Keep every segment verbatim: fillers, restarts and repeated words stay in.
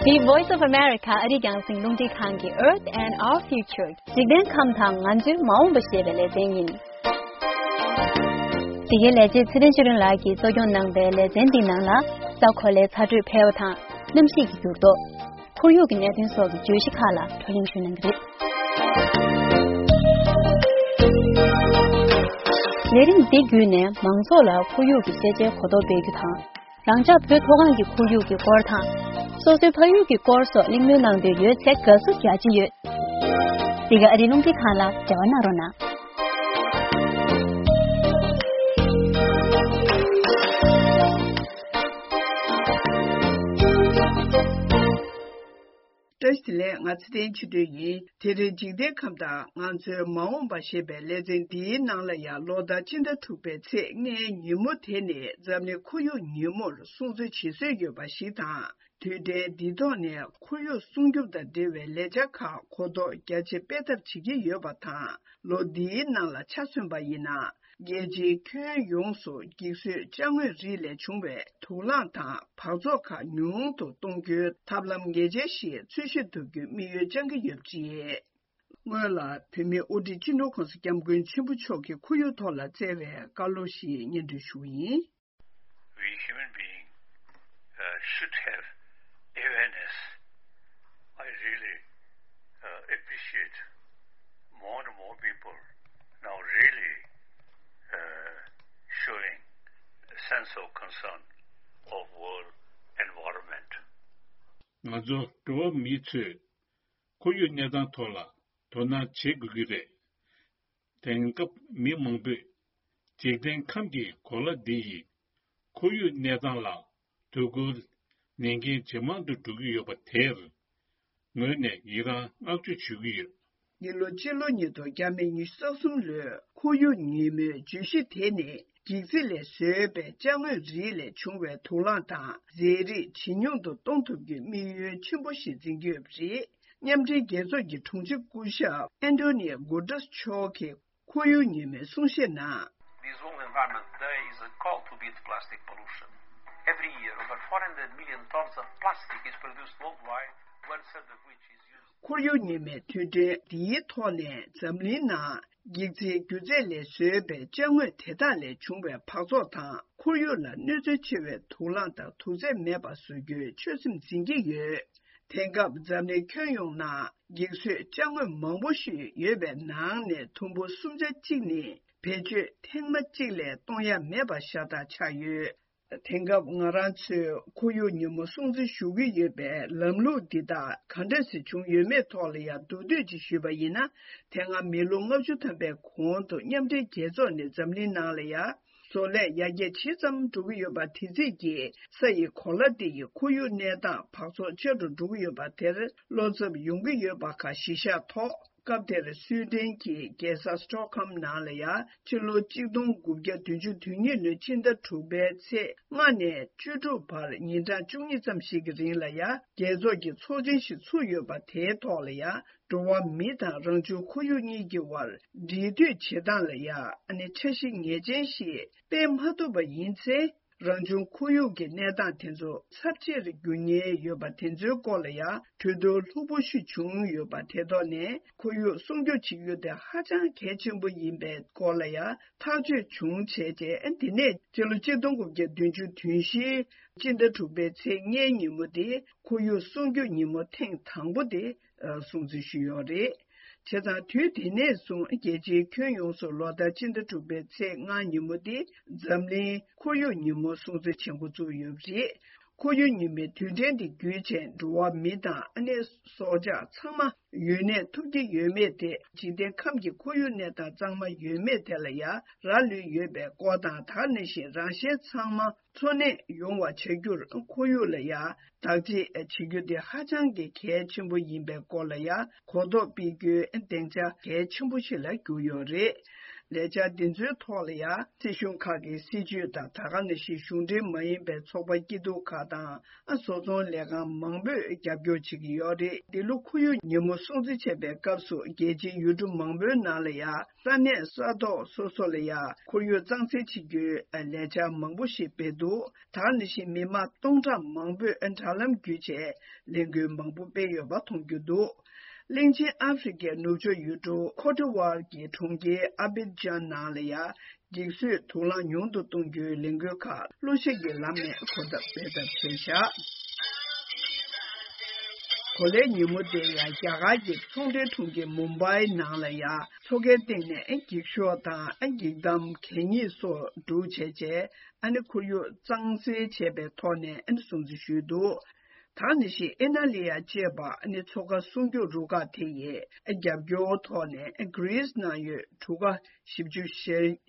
The Voice of America ཨ་རིའི་རྒྱང་སྲིང་རླུང་འཕྲིན་ཁང་གི Earth and Our Future འཇིག་རྟེན་ཁམས་དང་ང་ཚོའི་མ་འོངས་པ་ཞེས་པའི་ལེ་ཚན་ཡིན། འདི་གའི་ལས་བྱེད་ཚེ་བརྟན་ཆོས་སྒྲོན་ལགས་ཀྱིས་གཙོ་སྐྱོང་གནང་པའི་ལེ་ཚན་འདིའི་ནང་ལ། ས་གོ་ལའི་ཚ་དྲོད་འཕེལ་བ་དང་གནམ་གཤིས་ཀྱི་འགྱུར་ལྡོག་ཁོར་ཡུག་གི་གནད་དོན་སོགས་ཀྱི་བརྗོད་གཞི་ཁག་ལ་བགྲོ་གླེང་ཞུ་གནང་གི་རེད། ལས་རིམ་འདི་བརྒྱུད་ནས་མང་ཚོགས་ལ་ཁོར་ཡུག་གི་ཤེས་བྱའི་གོ་རྟོགས་སྤེལ་རྒྱུ་དང་། རང་ཅག་བོད་མཐོ་སྒང་གི་ཁོར་ཡུག་གི་སྐོར་དང་། སོ་སོའི་ཕ་ཡུལ་གྱི་སྐོར་སོགས་གླེང་མོལ་གནང་འདོད་ཡོད་ཚེ་དགའ་བསུ་རྒྱ་ཆེ་ཡོད། འདི་ག་ཨ་རིའི་རླུང་འཕྲིན་ཁང་ལ་འབྲེལ་བ་གནང་རོགས་གནང་། བཀྲ་ཤིས་བདེ་ལེགས། ང་ཚེ་བརྟན་ཆོས་སྒྲོན་ཡིན། དེ་རིང་འཇིག་རྟེན་ཁམས་དང་ང་ཚོའི་མ་འོངས་པ་ཞེས་པའི་ལེ་ཚན་འདིའི་ནང་ལ་ཡང་ལོ་ལྟར་སྤྱི་ཟླ་དྲུག་པའི་ཚེས་ལྔའི་ཉིན་མོ་དེ་ནི་འཛམ་གླིང་ཁོར་ཡུག་ཉིན་མོར་སྲུང་བརྩི་བྱེད་སྲོལ་ཡོད་པ་ཞིག་དང་། དུས་དྲན་འདིའི་ཐོག་ནས་ཁོར་ཡུག་སྲུང་སྐྱོབ་དང་འབྲེལ་བའི་ལས་འཆར་ཁག་གོ་རྟོགས་རྒྱ་ཆེ་སྤེལ་ཐབས་བྱེད་ཀྱི་ཡོད་པ་དང་། ལོ་འདིའི་ནང་ལ་ཆ་མཚོན་པ་ཡིན་ན། རྒྱལ་སྤྱིའི་ཁྱོན་ཡོངས་སུ་འགྱིག་བཟོས་ཅ་དངོས་རིགས་ལས་བྱུང་བའི་དུག་རླངས་དང་འབག་བཙོག་ཁག་ཉུང་དུ་གཏོང་རྒྱུའི་ཐབས་ལམ་ངེས་ཅན་ཞིག་འཚོལ་ཞིབ་ཐུབ་རྒྱུའི་དམིགས་ཡུལ་བཅངས་ཀྱི་ཡོད་པ་རེད། སྔོན་ལ་བོད་མིའི་དབུ་ཁྲིད་སྤྱི་ནོར་༸གོང་ས་༸སྐྱབས་མགོན་ཆེན་པོ་མཆོག་གིས་ཁོར་ཡུག་ཐོག་ལ་བསྩལ་བའི་བཀའ་སློབ་ཞིག་སྙན་སྒྲོན་ཞུ་བ་ཡིན། We human being, uh, should have awareness. I really, uh, appreciate more and more people now really, uh, showing a sense of concern of world environment. ང་ཚོ་འགྲོ་བ་མི་ཚོས་ཁོར་ཡུག་གནས་སྟངས་ཐོག་ལ་དོ་སྣང་བྱེད་དགོས་ཀྱི་རེད། དེང་སྐབས་མི་མང་པོས་འཇིག་རྟེན་ཁམས་ཀྱི་གོ་ལ་འདི་ཡི་ཁོར་ཡུག་གནས་སྟངས་ལ་དོ་ཁུར་ལེན་མཁན་ཇེ་མང་དུ་འགྲོ་གི་ཡོད་པ་དེར་ངོས་ནས་ཡི་རངས་བསྔགས་བརྗོད་ཞུ་གི་ཡོད། འདི་ལོ་སྤྱི་ལོ་ཉིས་སྟོང་ཉི་ཤུ་རྩ་གསུམ་ལོའི་ཁོར་ཡུག་ཉིན་མོའི་བརྗོད་གཞི་དེ་ནི་འགྱིག་རྩི་ལས་བཟོས་པའི་ཅ་དངོས་རིགས་ལས་བྱུང་བའི་དུག་རླངས་དང་རྫས་རིགས་ཇེ་ཉུང་དུ་གཏོང་ཐུབ་རྒྱུའི་དམིགས་ཡུལ་ཆེན་པོ་ཞིག་འཛིན་གྱི་ཡོད་པ་རེད། མཉམ་འབྲེལ་རྒྱལ་ཚོགས་ཀྱི་དྲུང་ཆེ་སྐུ་ཞབས་ཨན་ཏོ་ནི་ཡ་གུ་ཏྲེས་མཆོག་གིས་ཁོར་ཡུག་ཉིན་མོའི་གསུང་བཤད་ནང་། This World Environment Day is a call to beat plastic pollution. Every year, over four hundred million tons of plastic is produced worldwide, one third of which is used. ཁོར་ཡུག་ཉིན་མོའི་དུས་དྲན་འདིའི་ཐོག་ནས་འཛམ་གླིང་ནང་འགྱིག་རྩིའི་སྒྱུ་རྩལ་ལས་བཟོས་པའི་ཅ་དངོས་དེ་དག་ལས་བྱུང་བའི་འབག་བཙོག་དང་ཁོར་ཡུག་ལ་གནོད་འཚེ་ཆེ་བའི་དུག་རླངས་དང་དུག་རྫས་མེད་པ་བཟོ་རྒྱུའི་ཆོད་སེམས་འཛིན་གྱི་ཡོད། དེང་སྐབས་འཛམ་གླིང་ཁྱོན་ཡོངས་ནང་འགྱིག་བཟོས་ཅ་དངོས་མང་པོ་ཞིག་ཡོད་པའི་ནང་ནས་དུམ་བུ་གསུམ་ཆ་གཅིག་ནི་བེད་སྤྱོད་ཐེངས་མ་གཅིག་ལས་གཏོང་ཡ་མེད་པ་ཤ་སྟག་ཆགས་ཡོད། དེང་སྐབས་ང་རང་ཚོས་ཁོར་ཡུག་ཉིན་མོ་སྲུང་བརྩི་ཞུ་གི་ཡོད་པའི་ལམ་ལུགས་འདི་དག་ག་འདྲ་ཞིག་བྱུང་ཡོད་མེད་ཐོག་ལ་ཡང་མདོར་བསྡུས་ཅིག་ཞུས་པ་ཡིན་ན། དེ་སྔ་མི་ལོ་ལྔ་བཅུ་ཐམ་པའི་གོང་དུ་མཉམ་འབྲེལ་རྒྱལ་ཚོགས་ནས་འཛམ་གླིང་ནང་ལ་ཡང་བཟོ་ལས་ཡར་རྒྱས་ཇི་ཙམ་འགྲོ་གི་ཡོད་པ་དེ་རྩིས་ཀྱིས་ས་ཡི་གོ་ལ་འདི་ཡི་ཁོར་ཡུག་གནས་སྟངས་འབག་བཙོག་ཆེ་རུ་འགྲོ་གི་ཡོད་པ་དེར་བློ་འཚབ་ཡོང་གི་ཡོད་པ་ཁག་གཞི་བཞག་ཐོག་སྐབས་དེར་སུའེ་ཏེན་གྱི་རྒྱལ་ས་སི་ཊོག་ཧོམ་ནང་ལ་ཡང་ཕྱི་ལོ་གཅིག་སྟོང་དགུ་བརྒྱ་བདུན་ཅུ་དོན་གཉིས་ལོའི་ཕྱི་ཟླ་དྲུག་པའི་ཚེས་ལྔ་ནས་བཅུ་དྲུག་བར་ཉིན་གྲངས་བཅུ་གཉིས་ཙམ་ཞིག་གི་རིང་ལ་ཡང་རྒྱལ་ཚོགས་ཀྱི་ཚོགས་ཆེན་ཞིག་ཚུགས་ཡོད་པ་དེའི་ཐོག་ལ་ཡང་འགྲོ་བ་མི་དང་རང་བྱུང་ཁོར་ཡུག་གཉིས་ཀྱི་དབར་འབྲེལ་མཐུད་བྱེད་སྟངས་ལ་ཡང་ཨ་ནི་འཆར་གཞི་ངེས་ཅན་ཞིག་སྤེལ་མ་ཐུབ་པ་ཡིན་ཚེ། རང་བྱུང་ཁོར་ཡུག་གི་གནས་སྟངས་དེ་ཚོ་ཚབས་ཆེར་འགྱུར་ཉེན་ཡོད་པ་དེ་ཚོའི་སྐོར་ལ་ཡང་གྲོས་བསྡུར་ལྷུག་པོ་ཞིག་བྱུང་ཡོད་པ་དེ་ཐོག་ནས་ཁོར་ཡུག་སྲུང་སྐྱོབ་བྱེད་རྒྱུ་དེ་ཧ་ཅང་གལ་ཆེན་པོ་ཡིན་པའི་སྐོར་ལ་ཡང་ཐག་གཅོད་བྱུང་བྱས་རྗེས། དེ་ནས་སྤྱི་ལོ་གཅིག་སྟོང་དགུ་བརྒྱ་བདུན་ཅུ་དོན་བཞིའི་སྤྱི་ཟླ་དྲུག་པའི་ཚེས་ལྔའི་ཉིན་མོ་དེ་ཁོར་ཡུག་སྲུང་སྐྱོབ་ཉིན་མོ་ཐེངས་དང་པོ་དེ་སྲུང་བརྩི་ཞུས་ཡོད་རེད། བྱས་ཙང་དུས་དེ་ནས་བཟུང་རྒྱལ་སྤྱིའི་ཁྱོན་ཡོངས་སུ་ལོ་ལྟར་སྤྱི་ཟླ་དྲུག་པའི་ཚེས་ལྔ་ཉིན་མོ་དེ་འཛམ་གླིང་ཁོར་ཡུག་ཉིན་མོ་སྲུང་བརྩི་བྱེད་འགོ་བཙུགས་ཡོད་པ་རེད། ཁོར་ཡུག་ཉིན་མོའི་དུས་དྲན་དེ་བརྒྱུད་བྱས་འགྲོ་བ་མི་དང་ཨ་ནེ་སྲོག་ཆགས་ཚང་མ་ཡུན་གནས་ཐུབ་ཀྱི་ཡོད་མེད་དེ་འཇིག་རྟེན་ཁམས་ཀྱི་ཁོར་ཡུག་གནས་སྟངས་གཙང་མ་ཡོད་མེད་དེ་ལ་ཡང་རག་ལུས་ཡོད་པའི་སྐོར་དང་། ད་ག་ནང་བཞིན་རང་གཞན་ཚང་མ་འཚོ་གནས་ཡོང་བ་བྱ་རྒྱུར་ཁོར་ཡུག་ལ་ཡང་བདག་གཅེས་བྱེད་རྒྱུ་དེ་ཧ་ཅང་གི་གལ་ཆེན་པོ་ཡིན་པའི་སྐོར་ལ་ཡང་གོ་རྟོགས་སྤེལ་རྒྱུའི་སྡིངས་ཆ་གལ་ཆེན་པོ་ཞིག་ལ་གྱུར་ཡོད་རེད། ལས་འཆར་འདི་ཚོའི་ཐོག་ལ་ཡང་སྲིད་གཞུང་ཁག་གི་སྲིད་ཇུས་དང་། ད་ག་ནང་བཞིན་གཞུང་འབྲེལ་མ་ཡིན་པའི་ཚོགས་པ་སྐྱིད་སྡུག་ཁག་དང་། ཨ་བཟོ་ཚོང་ལས་ཁང་མང་པོས་རྒྱབ་སྐྱོར་བྱེད་ཀྱི་ཡོད་རེད། འདི་ལོ་ཁོར་ཡུག་ཉིན་མོ་སྲུང་བརྩི་བྱེད་པའི་སྐབས་སུ། རྒྱལ་སྤྱིའི་ཡུལ་གྲུ་མང་པོའི་ནང་ལ་ཡང་ས་གནས་ས་ཐོག་སོ་སོ་ལ་ཡང་ཁོར་ཡུག་གཙང་སེལ་བྱེད་རྒྱུའི་ལས་འཆར་མང་པོ་ཞིག་སྤེལ་འདུག་ད་ག་ནང་བཞིན་མི་མང་སྟོང་ཕྲག་མང་པོས་དྲ་ལམ་བརྒྱུད་བྱས་ལས་འགུལ་མང་པོ་སྤེལ་ཡོད་པ་མཐོང་རྒྱུ་འདུག་གླིང་ཆེན་ཨ་ཧྥེ་རི་ཁའི་ནུབ་ཕྱོགས་ཡུལ་གྲུ་ཁོ་ཏི་ཝར་གྱི་གྲོང་ཁྱེར་ཨ་བི་ཇན་ནང་ལ་ཡང་འགྱིག་བཟོས་དུག་རླངས་ཉུང་དུ་གཏོང་རྒྱུའི་ལས་འགུལ་ཁག་གློ་ཞིག་གི་ལམ་ནས་གོ་བརྡ་སྤེལ་ཐབས་བྱས་བཞག་གོ་ལའི་ཉིན་མོ་དེ་ཡང་རྒྱ་གར་གྱི་ཚོང་འབྲེལ་གྲོང་ཁྱེར་མུམ་བྷའི་ནང་ལ་ཡང་མཚོ་ཁའི་སྟེང་ནས་འགྱིག་ཤོག་དང་འགྱིག་དམ་གད་སྙིགས་སོགས་སྒྲུག་བྱས་རྗེས། ཨ་ནི་ཁོར་ཡུག་གཙང་སེལ་བྱས་པའི་ཐོག་ནས་ཨ་ནི་སྲུང་བརྩི་ཞུས་འདུག་ད་ནི་ཞིག་ཨི་ན་ལི་ཡ་ཅེས་པ་ཨ་ནི་མཚོ་ཁ་སྲུང་སྐྱོབ་རུ་ཁག་དེ་ཡིས་རྒྱབ་སྐྱོར་ཐོག་ནས་གྷི་རིས་ནང་ཡོད་གྲུ་ཁ་བཞི་བཅུ་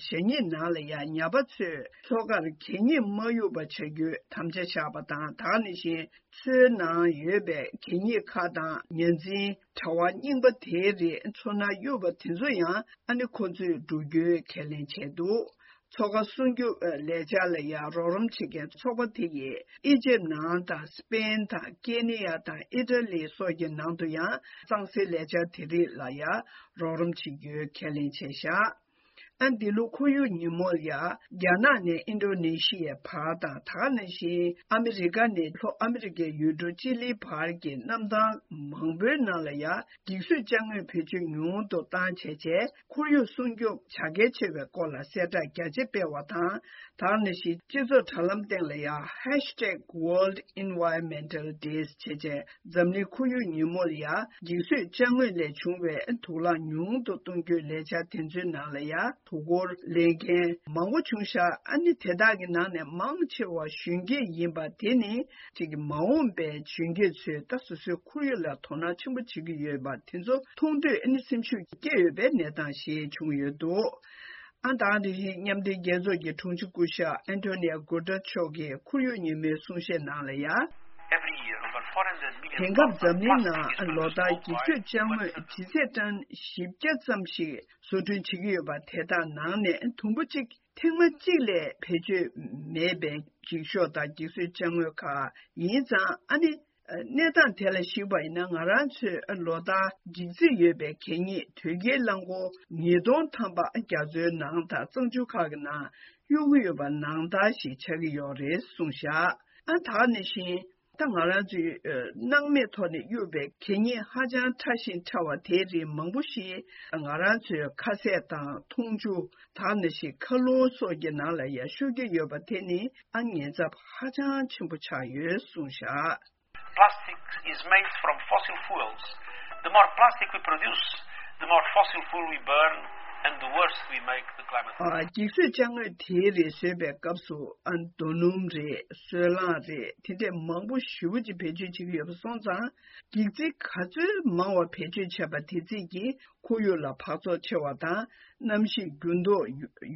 ཞེ་གཉིས་ནང་ལ་ཡང་ཉ་པ་ཚོས་མཚོ་ཁར་གད་སྙིགས་མ་གཡུག་པ་བྱ་རྒྱུའི་དམ་བཅའ་བཞག་པ་དང་། ད་ནི་བཞིན་མཚོའི་ནང་ཡོད་པའི་གད་སྙིགས་ཁག་དང་ཉ་འཛིན་དྲ་བ་རྙིང་པ་དེའི་རིགས་མཚོ་ནང་གཡུག་པ་དེ་ཚོ་ཡང་ཨ་ནི་ཁོ་ཚོས་སྒྲུག་རྒྱུའི་ཁས་ལེན་བྱས་འདུག་མཚོ་ཁ་སྲུང་སྐྱོབ་ལས་འཆར་ལ་ཡང་རོགས་རམ་བྱེད་མཁན་ཚོགས་པ་དེ་ཡིས་ཨི་ཇེབ་ནང་དང་སི་པེན་དང་ཀེ་ནི་ཡ་དང་ཨི་ཊ་ལི་སོགས་ཀྱི་ནང་དུ་ཡང་གཙང་སེལ་ལས་འཆར་དེ་རིགས་ལ་ཡང་རོགས་རམ་བྱེད་རྒྱུའི་ཁས་ལེན་བྱས་བཞག་ཨ་འདི་ལོ་ཁོར་ཡུག་ཉིན་མོར་ཡང་རྒྱ་ནག་ནས་ཨིན་ཌོ་ནེ་ཤི་ཡའི་བར་དང་། ད་ག་ནང་བཞིན་ཨ་མི་རི་ཀ་ནས་ལྷོ་ཨ་མི་རི་ཀའི་ཡུལ་གྲུ་ཅི་ལིའི་བར་གྱི་གནམ་ཐང་མང་པོའི་ནང་ལ་ཡང་འགྱིག་བཟོས་ཅ་དངོས་བེད་སྤྱོད་ཉུང་དུ་བཏང་བྱས་རྗེས། ཁོར་ཡུག་སྲུང་སྐྱོབ་བྱ་གལ་ཆེ་བའི་སྐོར་ལ་གསལ་བསྒྲགས་རྒྱ་ཆེ་སྤེལ་བ་དང་། ད་ག་ནང་བཞིན་སྤྱི་ཚོགས་དྲ་ལམ་སྟེང་ལ་ཡང་ཧེཤ་ཊེག་ཝརལཌ་ཨེན་ཝའི་རོན་མེན་ཊལ་ཌེ་བྱས་རྗེས། འཛམ་གླིང་ཁོར་ཡུག་ཉིན་མོར་ཡང་འགྱིག་བཟོས་ཅ་དངོས་ལས་བྱུང་བའི་དུག་རླངས་ཉུང་དུ་གཏོང་རྒྱུའི་ལས་འཆར་དེ་ཚོའི་ནང་ལ་ཡང་དུག་སྒོར་ལེན་མཁན་མང་པོ་བྱུང་ཤག་ཨ་ནི་དེ་དག་གི་ནང་ནས་མང་ཆེ་བ་གཞོན་སྐྱེས་ཡིན་པ་དེ་ནི་ཅིག་མ་འོངས་པའི་གཞོན་སྐྱེས་ཚོས་ད་སོ་སོའི་ཁོར་ཡུག་ལ་དོ་སྣང་ཆེན་པོ་བྱེད་ཀྱི་ཡོད་པ་དེ་ཚོ་མཐོང་དུས་ཨ་ནི་སེམས་ཤུགས་སྐྱེ་ཡོད་པའི་གནས་སྟངས་ཤིག་བྱུང་ཡོད་འདུག་ཨ་ད་དེ་བཞིན་མཉམ་འབྲེལ་རྒྱལ་ཚོགས་ཀྱི་དྲུང་ཆེ་སྐུ་ཞབས་ཨན་ཐོ་ནི་ཡ་གུ་ཏྲེ་མཆོག་གིས་ཁོར་ཡུག་ཉིན་མོའི་གསུང་བཤད་ནང་ལ་ཡང་། Every year, over four hundred million དེང་སྐབས་འཛམ་གླིང་ནང་ལོ་ལྟར་འགྱིག་བཟོས་ཅ་དངོས་ཇི་སྲིད་ཊོན་བཞི་བརྒྱ་ཙམ་ཞིག་བཟོ་སྐྲུན་བྱེད་ཀྱི་ཡོད་པ་དེ་དག་ནང་ནས་དུམ་བུ་གཅིག་ཐེངས་མ་གཅིག་ལས་བེད་སྤྱོད་མེད་པའི་འགྱིག་ཤོག་དང་འགྱིག་བཟོས་ཅ་དངོས་ཁག་ཡིན་ཙང་། ཨ་ནི་གནས་སྟངས་དེ་ལ་གཞིགས་པ་ཡིན་ན། ང་རང་ཚོས་ལོ་ལྟར་འགྱིག་རྩིས་ཡོད་པའི་གད་སྙིགས་དོས་སྐྱེལ་རླངས་འཁོར་ཉིས་སྟོང་ཐམ་པ་རྒྱ་མཚོའི་ནང་དང་གཙང་ཆུ་ཁག་གི་ནང་གཡུག་གི་ཡོད་པ་ནང་ལྟར་ཞིག་ཆགས་ཀྱི་ཡོད་རེད་གསུངས་བཞག་ཨ་ད་ག་ནང་བཞིན་ད་ང་རང་ཚོའི་ཨ་སྣང་མེད་ཐོག་ནས་གཡུགས་པའི་གད་སྙིགས་ཧ་ཅང་ཕྲ་ཞིང་ཕྲ་བ་དེའི་རིགས་མང་པོ་ཞིག་ང་རང་ཚོའི་ཁ་ཟས་དང་འཐུང་ཆུ། ད་ག་ནང་བཞིན་མཁའ་རླུང་སོགས་ཀྱི་ནང་ལ་ཡང་ཤོར་གྱི་ཡོད་པ་དེ་ནི་ཨ་ཉེན་ཚབས་ཧ་ཅང་ཆེན་པོ་ཆགས་ཡོད་གསུངས་བཞག Plastic is made from fossil fuels. The more plastic we produce, the more fossil fuel we burn, and the worse we make the climate. ཨ་འགྱིག་བཟོས་ཅ་དངོས་དེའི་རིགས་བཟོས་པའི་སྐབས་སུ་ཨ་རྡོ་སྣུམ་རེད། སོལ་རླངས་རེད། དེ་འདྲས་མང་པོ་ཞེ་པོ་ཅིག་བེད་སྤྱོད་བྱེད་ཀྱི་ཡོད་པ་སོང་ཙང་། འགྱིག་རྩིས་ག་ཚོད་མང་བ་བེད་སྤྱོད་བྱས་པ་དེ་རྩིས་ཀྱིས་ཁོར་ཡུག་ལ་འབག་བཙོག་ཆེ་བ་དང་། གནམ་གཤིས་འགྱུར་ལྡོག་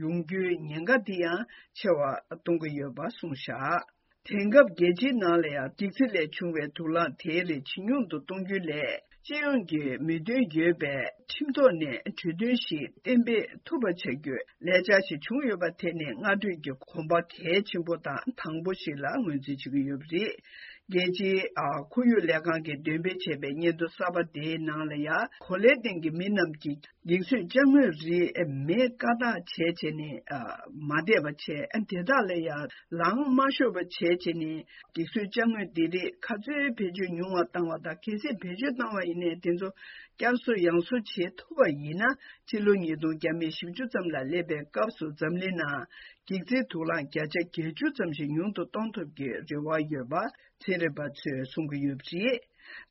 ཡོང་རྒྱུའི་ཉེན་ཁ་དེ་ཡང་ཆེ་བ་གཏོང་གི་ཡོད་པ་གསུངས་བཞག་དེང་སྐབས་རྒྱལ་སྤྱིའི་ནང་ལ་ཡང་འགྱིག་རྩིས་ལས་བྱུང་བའི་དུག་རླངས་དེའི་རིགས་ཇེ་ཉུང་དུ་གཏོང་རྒྱུ་ལས། སྤྱི་ཡོངས་ཀྱི་མོས་མཐུན་ཡོད་པའི་ཁྲིམས་ཐོག་ནས་གྲོས་མཐུན་ཞིག་གཏན་འབེབས་ཐུབ་པ་བྱ་རྒྱུའི་ལས་འཆར་ཞིག་བྱུང་ཡོད་པ་དེ་ནི་སྔ་གྲོས་ཀྱི་གོམ་པ་གལ་ཆེན་པོ་དང་དང་པོ་ཞིག་ལ་ངོས་འཛིན་བྱེད་ཀྱི་ཡོད་པ་རེད། རྒྱལ་སྤྱིའི་ཨ་ཁོར་ཡུག་ལས་ཁང་གིས་འདོན་སྤེལ་བྱས་པའི་སྙན་ཐོ་གསར་པ་དེའི་ནང་ལ་ཡང་། གོ་ལའི་སྟེང་གི་མི་རྣམས་ཀྱིས་འགྱིག་བཟོས་ཅ་དངོས་རིགས་མེད་ཀ་བཏགས་བྱས་བྱས་ནས་ཨ་མ་བསྡད་པ་བྱས། ཨ་དེ་དག་ལ་ཡང་ལངས་མ་ཤོར་བ་བྱས་བྱས་ནས། འགྱིག་བཟོས་ཅ་དངོས་འདི་རིགས་ག་ཚོད་བེད་སྤྱོད་ཉུང་བ་བཏང་བ་དང་། གལ་སྲིད་བེད་སྤྱོད་བཏང་བ་ཡིན་ནའི་དེ་ཚོ་བསྐྱར་གསོ་ཡང་གསོ་བྱེད་ཐུབ་པ་ཡིན་ན། ཕྱི་ལོ་ཉིས་སྟོང་བརྒྱ་མེད་བཞི་བཅུ་ཙམ་ལ་སླེབས་པའི་སྐབས་སུ་འཛམ་གླིང་ནང་འགྱིག་རྩིས་དུག་རླངས་བརྒྱ་ཆ་བརྒྱད་ཅུ་ཙམ་ཞིག་ཉུང་དུ་གཏོང་ཐུབ་ཀྱི་རེ་བ་ཡོད་པ་ཚན་རིག་པ་ཚོས་གསུང་གི་ཡོད་པ་རེད།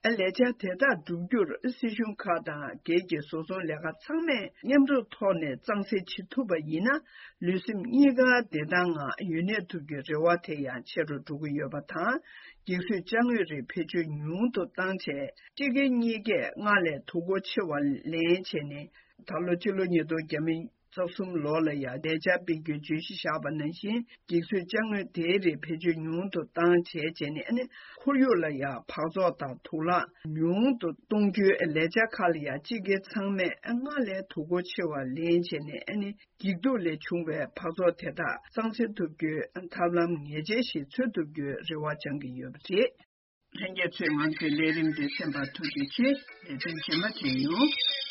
ཨ་ལས་འཆར་དེ་དག་བསྒྲུབ་རྒྱུར་སྲིད་གཞུང་ཁག་དང་སྒེར་གྱི་བཟོ་ཚོང་ལས་ཁང་ཚང་མས་མཉམ་རུབ་ཐོག་ནས་གཙང་སེལ་བྱེད་ཐུབ་པ་ཡིན་ན། ལུས་སེམས་གཉིས་ཀ་བདེ་ཐང་ངང་ཡུན་གནས་ཐུབ་རྒྱུའི་རེ་བ་དེ་ཡང་ཆེ་རུ་འགྲོ་གི་ཡོད་པ་དང་། འགྱིག་བཟོས་ཅ་དངོས་རིགས་བེད་སྤྱོད་ཉུང་དུ་བཏང་བྱས། སྤྱི་སྒེར་གཉིས་ཀས་སྔར་ལས་དུག་སྒོ་ཆེ་བ་ལེན་བྱས་ནས། ད་ལོ་སྤྱི་ལོ་ཉིས་སྟོང་བརྒྱ་མེད་ རྩ་གསུམ་ལོ་ལ་ཡང་ལས་འཆར་སྤེལ་རྒྱུའི་བརྗོད་གཞི་བཞག་པ་ནང་བཞིན། འགྱིག་བཟོས་ཅ་དངོས་དེའི་རིགས་བེད་སྤྱོད་ཉུང་དུ་བཏང་བྱས་བྱས་ནས། ཨ་ནི་ཁོར་ཡུག་ལ་ཡང་འབག་བཙོག་དང་དུག་རླངས་ཉུང་དུ་གཏོང་རྒྱུའི་ལས་འཆར་ཁག་ལ་ཡང་སྤྱི་སྒེར་ཚང་མས་སྔར་ལས་དོ་ཁུར་ཆེ་བ་ལེན་བྱས་ནས། ཨ་ནི་འགྱིག་དུག་ལས་བྱུང་བའི་འབག་བཙོག་དེ་དག་གཙང་སེལ་ཐུབ་རྒྱུའི་ཐབས་ལམ་ངེས་ཅན་ཞིག་འཚོལ་ཐུབ་རྒྱུའི་རེ་བ་བཅང་གི་ཡོད་པ་རེད། ལྷན་རྒྱས་ཚོས་ང་ཚོའི་ལས་རིམ་འདི་གསན་པར་ཐུགས་རྗེ་ཆེ། ལས་དོན་རྗེས་མ་མཇལ་ཡོང་།